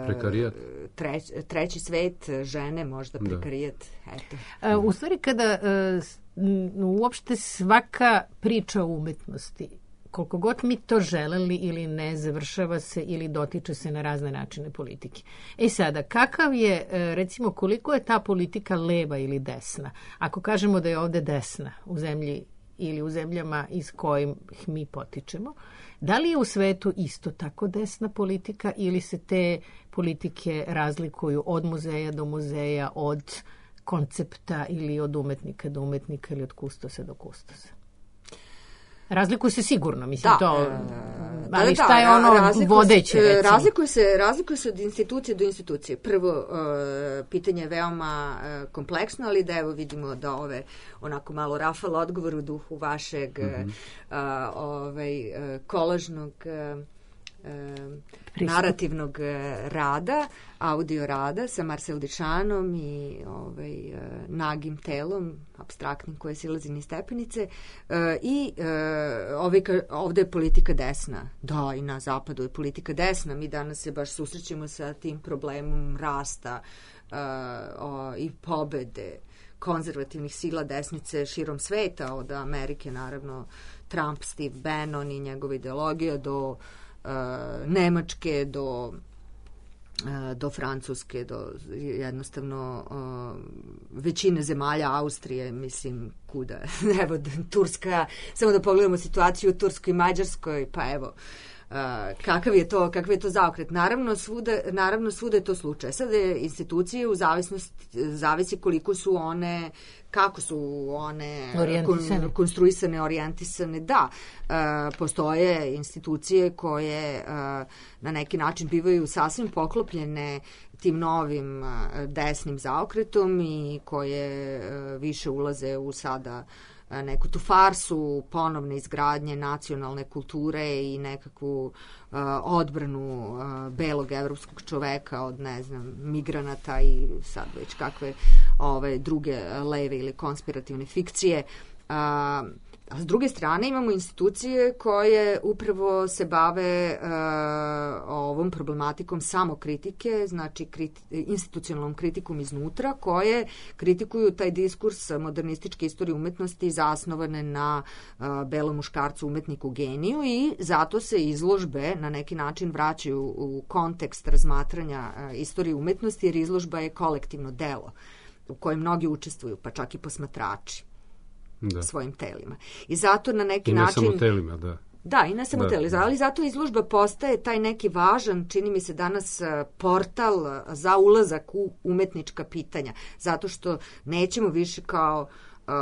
prekarijat. Treć, treći svet, žene, možda prekarijat. Eto. Uh, u stvari, kada uh, uopšte svaka priča o umetnosti, koliko god mi to želeli ili ne, završava se ili dotiče se na razne načine politike. E sada, kakav je, recimo, koliko je ta politika leva ili desna? Ako kažemo da je ovde desna u zemlji ili u zemljama iz kojih mi potičemo, da li je u svetu isto tako desna politika ili se te politike razlikuju od muzeja do muzeja, od koncepta ili od umetnika do umetnika ili od kustosa do kustosa? Razlikuju se sigurno, mislim, da, to, ali da, šta je ono vodeće, recimo? Razlikuju se, razlikuju se od institucije do institucije. Prvo, uh, pitanje je veoma uh, kompleksno, ali da evo vidimo da ove onako malo rafal odgovor u duhu vašeg mm-hmm. uh, ovaj, uh, kolažnog uh, narativnog rada, audio rada sa Marcel Duchampom i ovaj, nagim telom, apstraktnim koje silazi niz stepenice i ovaj, ovde je politika desna. Da, i na zapadu je politika desna. Mi danas se baš susrećemo sa tim problemom rasta o, i pobede konzervativnih sila desnice širom sveta, od Amerike naravno Trump, Steve Bannon i njegova ideologija do Uh, Nemačke do uh, do Francuske, do jednostavno uh, većine zemalja, Austrije, mislim, kuda, evo, Turska, samo da pogledamo situaciju u Turskoj i Mađarskoj, pa evo, Uh, kakav je to, kakav je to zaokret. Naravno svuda, naravno svuda je to slučaj. Sad je institucije u zavisnosti, zavisi koliko su one, kako su one kon, konstruisane, orijentisane. Da, uh, postoje institucije koje uh, na neki način bivaju sasvim poklopljene tim novim uh, desnim zaokretom i koje uh, više ulaze u sada neku tu farsu ponovne izgradnje nacionalne kulture i nekakvu uh, odbranu uh, belog evropskog čoveka od, ne znam, migranata i sad već kakve ove druge leve ili konspirativne fikcije. Uh, A s druge strane imamo institucije koje upravo se bave uh, ovom problematikom samokritike, znači kriti, institucionalnom kritikom iznutra, koje kritikuju taj diskurs modernističke istorije umetnosti zasnovane na uh, belom muškarcu, umetniku, geniju, i zato se izložbe na neki način vraćaju u kontekst razmatranja uh, istorije umetnosti, jer izložba je kolektivno delo u kojem mnogi učestvuju, pa čak i posmatrači. Da. Svojim telima. I zato na neki način... I ne način, samo telima, da. Da, i ne samo da, telima, da. Ali zato izložba postaje taj neki važan, čini mi se danas, portal za ulazak u umetnička pitanja. Zato što nećemo više kao uh,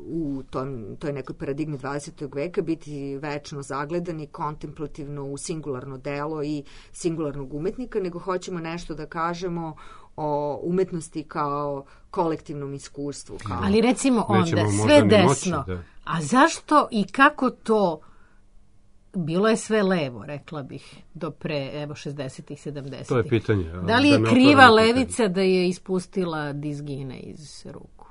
u tom, toj nekoj paradigmi dvadesetog veka biti večno zagledani, kontemplativno u singularno delo i singularnog umetnika, nego hoćemo nešto da kažemo o umetnosti kao kolektivnom iskustvu. Kao... Ali recimo onda, sve desno. Moći, da. A zašto i kako to, bilo je sve levo, rekla bih, do pre, evo, šezdesetih, sedamdesetih. To je pitanje. Da li je da kriva levica da je ispustila dizgine iz ruku?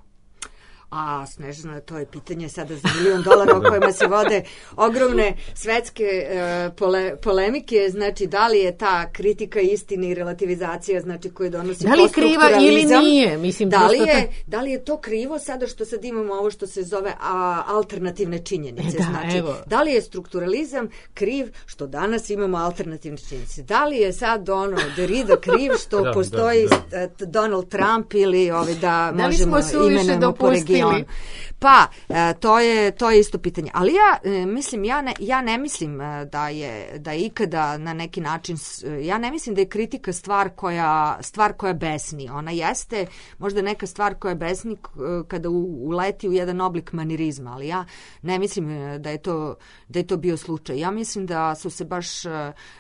A, Snežana, to je pitanje sada za milion dolara o kojima se vode ogromne svetske uh, pole, polemike. Znači, da li je ta kritika istine i relativizacija, znači, koje donosi da li je kriva ili nije? Mislim, da, li je, ta... da li je to krivo sada što sad imamo ovo što se zove a, alternativne činjenice? Da, znači, evo. Da li je strukturalizam kriv što danas imamo alternativne činjenice? Da li je sad ono Derrida kriv što da, postoji da, da. Donald Trump ili ove, da, da možemo imenujemo po regionu? Pa, to je, to je isto pitanje. Ali ja mislim, ja ne, ja ne mislim da je, da je ikada na neki način, ja ne mislim da je kritika stvar koja, stvar koja besni. Ona jeste možda neka stvar koja besni kada uleti u jedan oblik manirizma, ali ja ne mislim da je to, da je to bio slučaj. Ja mislim da su se baš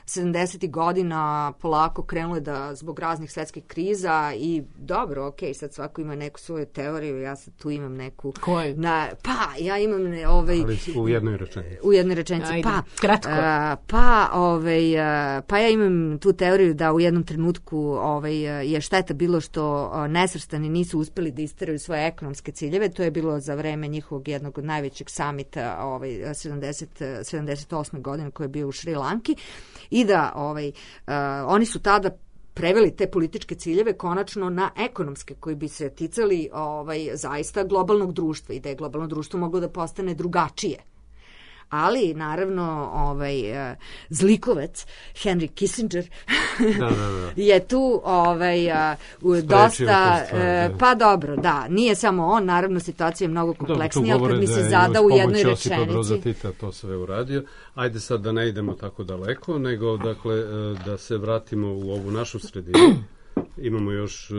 sedamdesetih godina polako krenule da zbog raznih svetskih kriza i dobro, ok, sad svako ima neku svoju teoriju, ja sad tu imam neku... Koju? Na, pa, ja imam ne, ovaj... Ali u jednoj rečenici. U jednoj rečenici, Ajde, pa... Kratko. A, pa, ovaj, a, pa ja imam tu teoriju da u jednom trenutku ovaj, je šteta bilo što nesvrstani nisu uspeli da isteraju svoje ekonomske ciljeve. To je bilo za vreme njihovog jednog od najvećeg samita ovaj, sedamdeset, sedamdeset osme godine koji je bio u Šri Lanki i da ovaj, a, oni su tada preveli te političke ciljeve konačno na ekonomske koji bi se ticali ovaj, zaista globalnog društva i da je globalno društvo moglo da postane drugačije. Ali, naravno, ovaj, zlikovec Henry Kissinger da, da, da. je tu ovaj, dosta... Stvar, da. Pa dobro, da. Nije samo on, naravno, situacija je mnogo kompleksnija, ali kad mi se da zada u jednoj rečenici... Tita to sve uradio. Ajde sad da ne idemo tako daleko, nego dakle, da se vratimo u ovu našu sredinu. Imamo još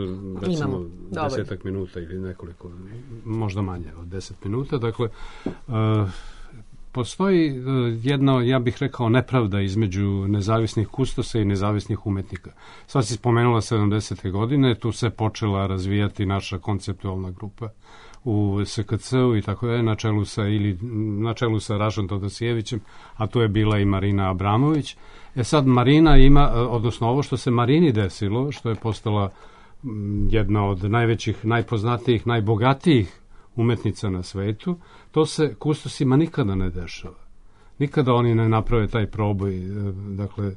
recimo desetak minuta ili nekoliko, možda manje od deset minuta. Dakle, uh, postoji jedno, ja bih rekao, nepravda između nezavisnih kustosa i nezavisnih umetnika. Sad si spomenula sedamdesete godine, tu se počela razvijati naša konceptualna grupa u S K C-u i tako je, na čelu sa, ili, na čelu sa Rašom Todosijevićem, a tu je bila i Marina Abramović. E sad Marina ima, odnosno ovo što se Marini desilo, što je postala jedna od najvećih, najpoznatijih, najbogatijih umetnica na svetu, to se kustosima nikada ne dešava. Nikada oni ne naprave taj proboj, dakle,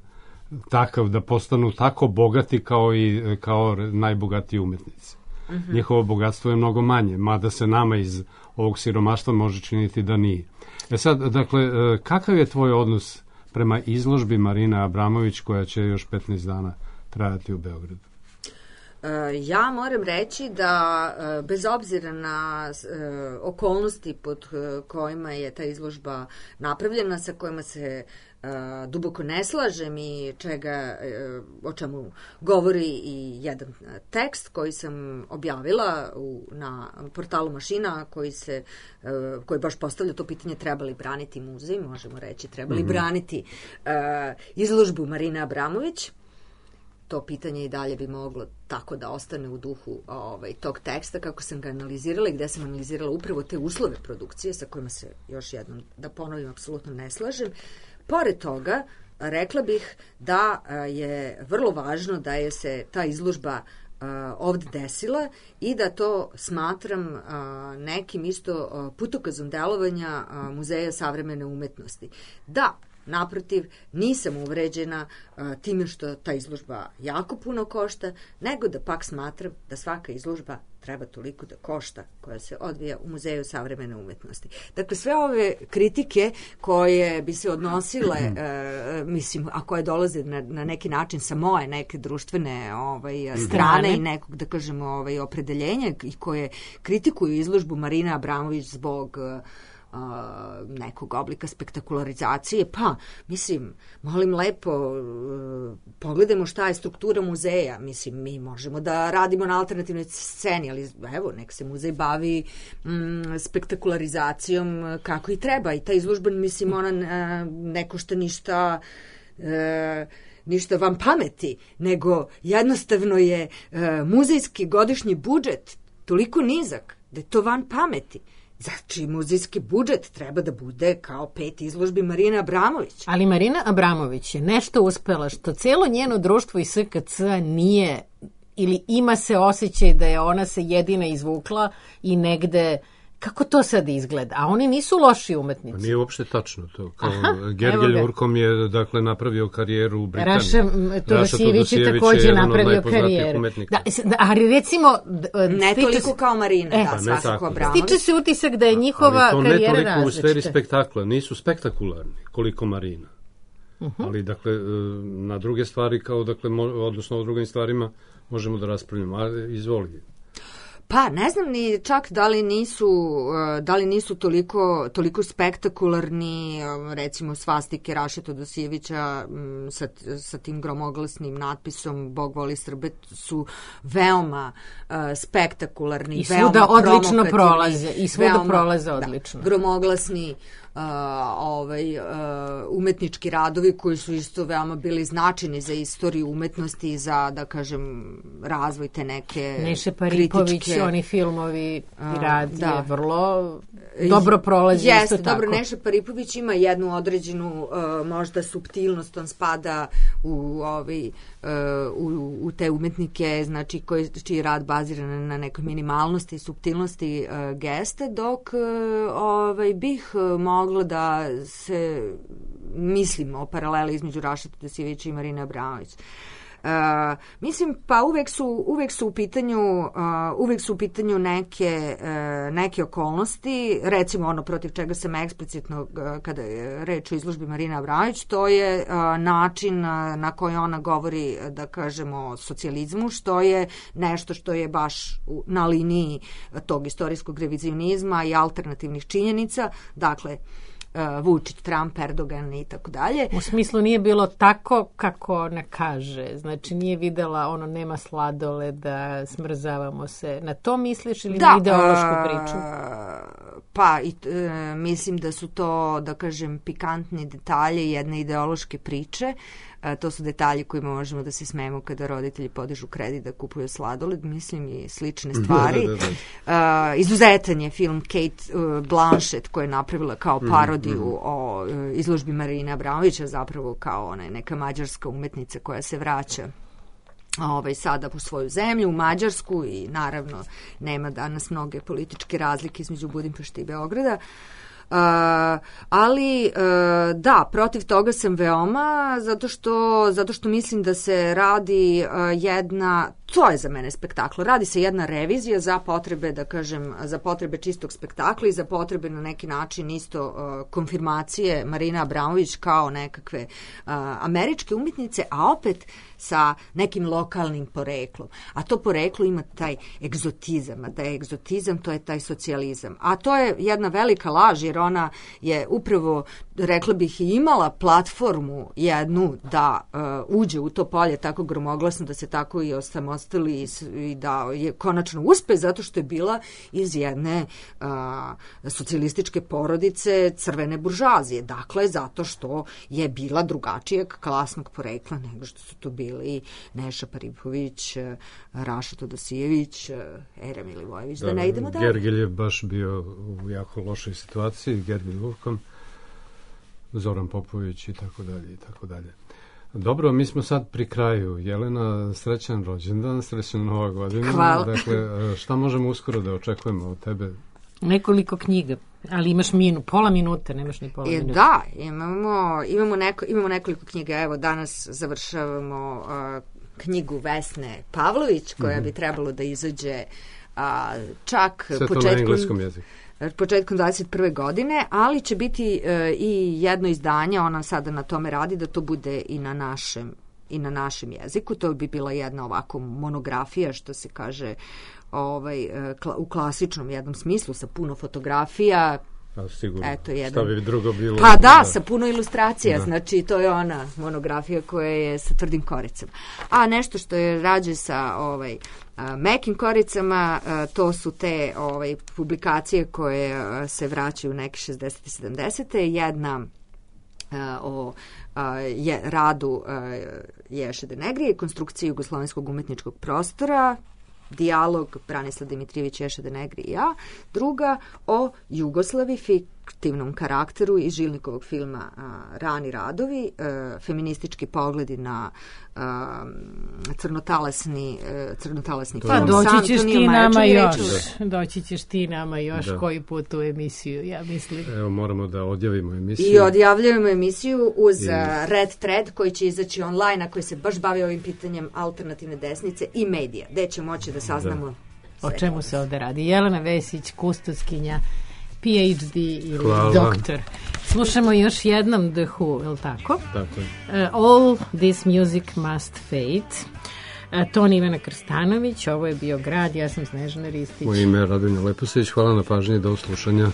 takav da postanu tako bogati kao i kao najbogatiji umetnici. Mm-hmm. Njihovo bogatstvo je mnogo manje, mada se nama iz ovog siromaštva može činiti da nije. E sad, dakle, kakav je tvoj odnos prema izložbi Marine Abramović koja će još petnaest dana trajati u Beogradu? Ja moram reći da bez obzira na okolnosti pod kojima je ta izložba napravljena, sa kojima se duboko ne slažem i čega, o čemu govori i jedan tekst koji sam objavila u, na portalu Mašina koji se, koji baš postavlja to pitanje treba li braniti muzej, možemo reći treba li mm-hmm. braniti izložbu Marine Abramović. To pitanje i dalje bi moglo tako da ostane u duhu ovaj, tog teksta kako sam ga analizirala i gde sam analizirala upravo te uslove produkcije sa kojima se još jednom, da ponovim, apsolutno ne slažem. Pored toga, rekla bih da je vrlo važno da je se ta izložba ovde desila i da to smatram uh, nekim isto uh, putokazom delovanja uh, Muzeja savremene umetnosti. Da, naprotiv, nisam uvređena uh, time što ta izložba jako puno košta, nego da pak smatram da svaka izložba treba toliko da košta koja se odvija u Muzeju savremene umetnosti. Dakle, sve ove kritike koje bi se odnosile, e, mislim, a koje dolaze na, na neki način sa moje neke društvene ovaj, strane i nekog, da kažemo, ovaj, opredeljenja i koje kritikuju izložbu Marine Abramović zbog Uh, nekog oblika spektakularizacije, pa, mislim, molim lepo, uh, pogledajmo šta je struktura muzeja, mislim, mi možemo da radimo na alternativnoj sceni, ali evo, nek se muzej bavi um, spektakularizacijom kako i treba i ta izložba, mislim, ona uh, ne košta ništa uh, ništa vam pameti, nego jednostavno je uh, muzejski godišnji budžet toliko nizak da je to van pameti. Znači, muzejski budžet treba da bude kao pet izložbi Marine Abramović. Ali Marina Abramović je nešto uspela što celo njeno društvo iz S K C nije, ili ima se osjećaj da je ona se jedina izvukla i negde... Kako to sad izgleda? A oni nisu loši umetnici. Nije uopšte tačno to. Kao Gergely Urkom je, dakle, napravio karijeru u Britaniji. Raša Todosijević je takođe napravio karijeru. Da, ali recimo... Ne toliko kao Marina, e, da, svakako Abramović. Stiče se utisak da je njihova karijera različita. Ali to ne toliko u sferi spektakla. Nisu spektakularni koliko Marina. Uh -huh. Ali, dakle, na druge stvari, kao, dakle, odnosno o drugim stvarima možemo da raspravljamo. Ali, izvoli. Pa, ne znam ni čak da li nisu, da li nisu toliko, toliko spektakularni, recimo svastike Raše Todosijevića sa, sa tim gromoglasnim natpisom Bog voli Srbe su veoma uh, spektakularni, i svuda odlično prolaze, i svuda veoma, prolaze odlično. Da, gromoglasni Uh, ovaj, uh, umetnički radovi koji su isto veoma bili značajni za istoriju umetnosti i za, da kažem, razvoj te neke Neše Paripović, kritičke, oni filmovi i rad uh, da. je vrlo dobro prolazi. Jeste, isto tako. Dobro, Neša Paripović ima jednu određenu uh, možda suptilnost, on spada u, ovaj, uh, u, u te umetnike, znači koji, čiji rad baziran na nekoj minimalnosti i suptilnosti uh, geste, dok uh, ovaj, bih uh, mogla da se mislim o paraleli između Raše Todosijevića i Marine Abramović. Uh, mislim, pa uvek su, uvek su u pitanju, uh, uvek su u pitanju neke, uh, neke okolnosti, recimo ono protiv čega sam eksplicitno, uh, kada je reč o izložbi Marine Abramović, to je uh, način uh, na koji ona govori, da kažemo, o socijalizmu, što je nešto što je baš u, na liniji tog istorijskog revizionizma i alternativnih činjenica, dakle, Uh, Vučić, Trump, Erdogan i tako dalje. U smislu nije bilo tako kako ne kaže. Znači nije videla ono nema sladoleda, smrzavamo se. Na to misliš ili da, na ideološku priču? Uh, pa i, uh, mislim da su to, da kažem, pikantni detalji jedne ideološke priče. Uh, to su detalji kojima možemo da se smemo kada roditelji podižu kredit da kupuju sladoled, mislim, i slične stvari. da, da, da. Uh, izuzetan je film Kate uh, Blanchett koja je napravila kao parodiju mm, mm. o uh, izložbi Marine Abramovića, zapravo kao ona neka mađarska umetnica koja se vraća ovaj, sada po svoju zemlju, u Mađarsku, i naravno nema danas mnoge političke razlike između Budimpešte i Beograda. Uh, ali uh, da, protiv toga sam veoma, zato što, zato što mislim da se radi uh, jedna, to je za mene spektakl, radi se jedna revizija za potrebe, da kažem, za potrebe čistog spektakla i za potrebe na neki način isto uh, konfirmacije Marine Abramović kao nekakve uh, američke umjetnice, a opet sa nekim lokalnim poreklom. A to poreklo ima taj egzotizam, a da je egzotizam, to je taj socijalizam. A to je jedna velika laž, jer ona je upravo, rekla bih, i imala platformu jednu da uh, uđe u to polje tako gromoglasno, da se tako i osamostali i, i da je konačno uspe, zato što je bila iz jedne uh, socijalističke porodice crvene buržazije. Dakle, zato što je bila drugačijeg klasnog porekla nego što su to bili Neša Paripović, Raša Todosijević, Era Milivojević, da, da ne idemo dalje. Gergely je baš bio u jako lošoj situaciji, Gergely Urkom, Zoran Popović i tako dalje i tako dalje. Dobro, mi smo sad pri kraju. Jelena, srećan rođendan, srećan Nova godina. Hvala. Dakle, šta možemo uskoro da očekujemo od tebe? Nekoliko knjiga, ali imaš minu, pola minute, nemaš ni pola e, minute. Da, imamo, imamo, neko, imamo nekoliko knjiga. Evo, danas završavamo uh, knjigu Vesne Pavlović, koja mm-hmm. bi trebalo da izađe uh, čak sve početkom... to na engleskom jeziku. početkom dvadeset prve godine, ali će biti e, i jedno izdanje, ona sada na tome radi, da to bude i na našem i na našem jeziku. To bi bila jedna ovako monografija, što se kaže ovaj, e, kla, u klasičnom jednom smislu, sa puno fotografija. A, sigurno. Eto, jedan... Šta bi drugo bilo? Pa da, da, sa puno ilustracija, da. Znači to je ona monografija koja je sa tvrdim koricama. A nešto što je rađe sa ovaj, a, mekim koricama, a, to su te ovaj, publikacije koje a, se vraćaju neke šezdeset sedamdesete Jedna a, o a, je, radu a, Ješe de Negrije, konstrukcije jugoslovenskog umetničkog prostora, dijalog Branislav Dimitrijević, Ješa de Negri i ja. Druga o Jugoslavi, fiktivnom karakteru iz Žilnikovog filma a, Rani radovi, a, feministički pogledi na a, crnotalasni, a, crnotalasni pa, film. Doći ćeš ti nama još. Da. Doći ćeš ti nama još da. koji put u emisiju, ja mislim. Evo, moramo da odjavimo emisiju. I odjavljujemo emisiju uz I... Red Thread koji će izaći online, a koji se baš bavi ovim pitanjem alternativne desnice i medija, gde će moći da saznamo da. O čemu se ovde radi. Jelena Vesić, kustoskinja, P H D ili Hvala. doktor. Slušamo još jednom The Who, je li tako? Tako je. Uh, All This Music Must Fade. Uh, Ton Ivana Krstanović, ovo je bio Grad, ja sam Snežana Ristić. Moje ime je Radonja Leposić, hvala na pažnji, do slušanja.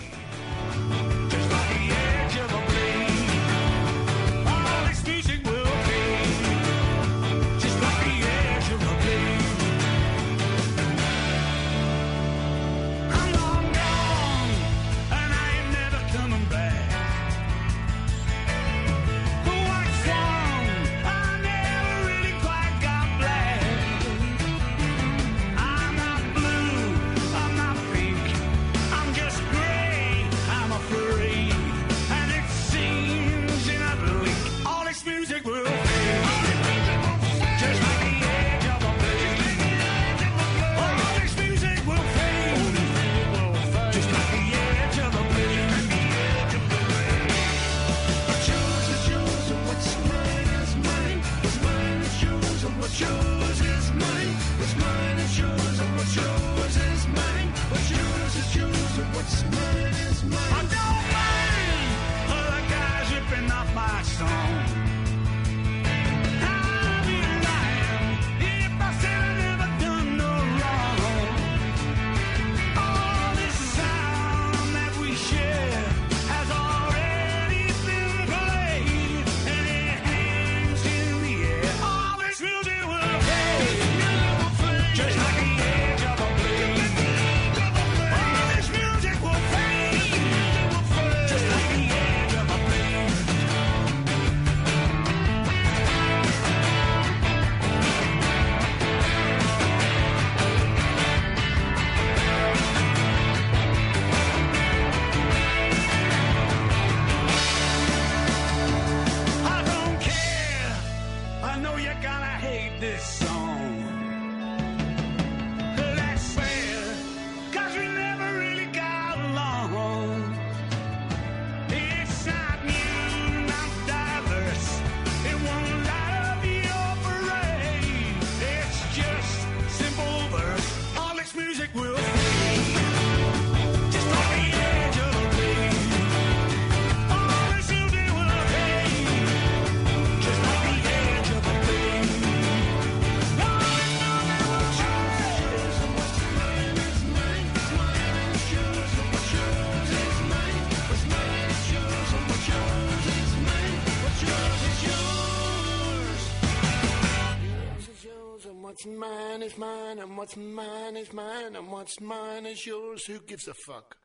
What's mine is mine, and what's mine is mine, and what's mine is yours. Who gives a fuck?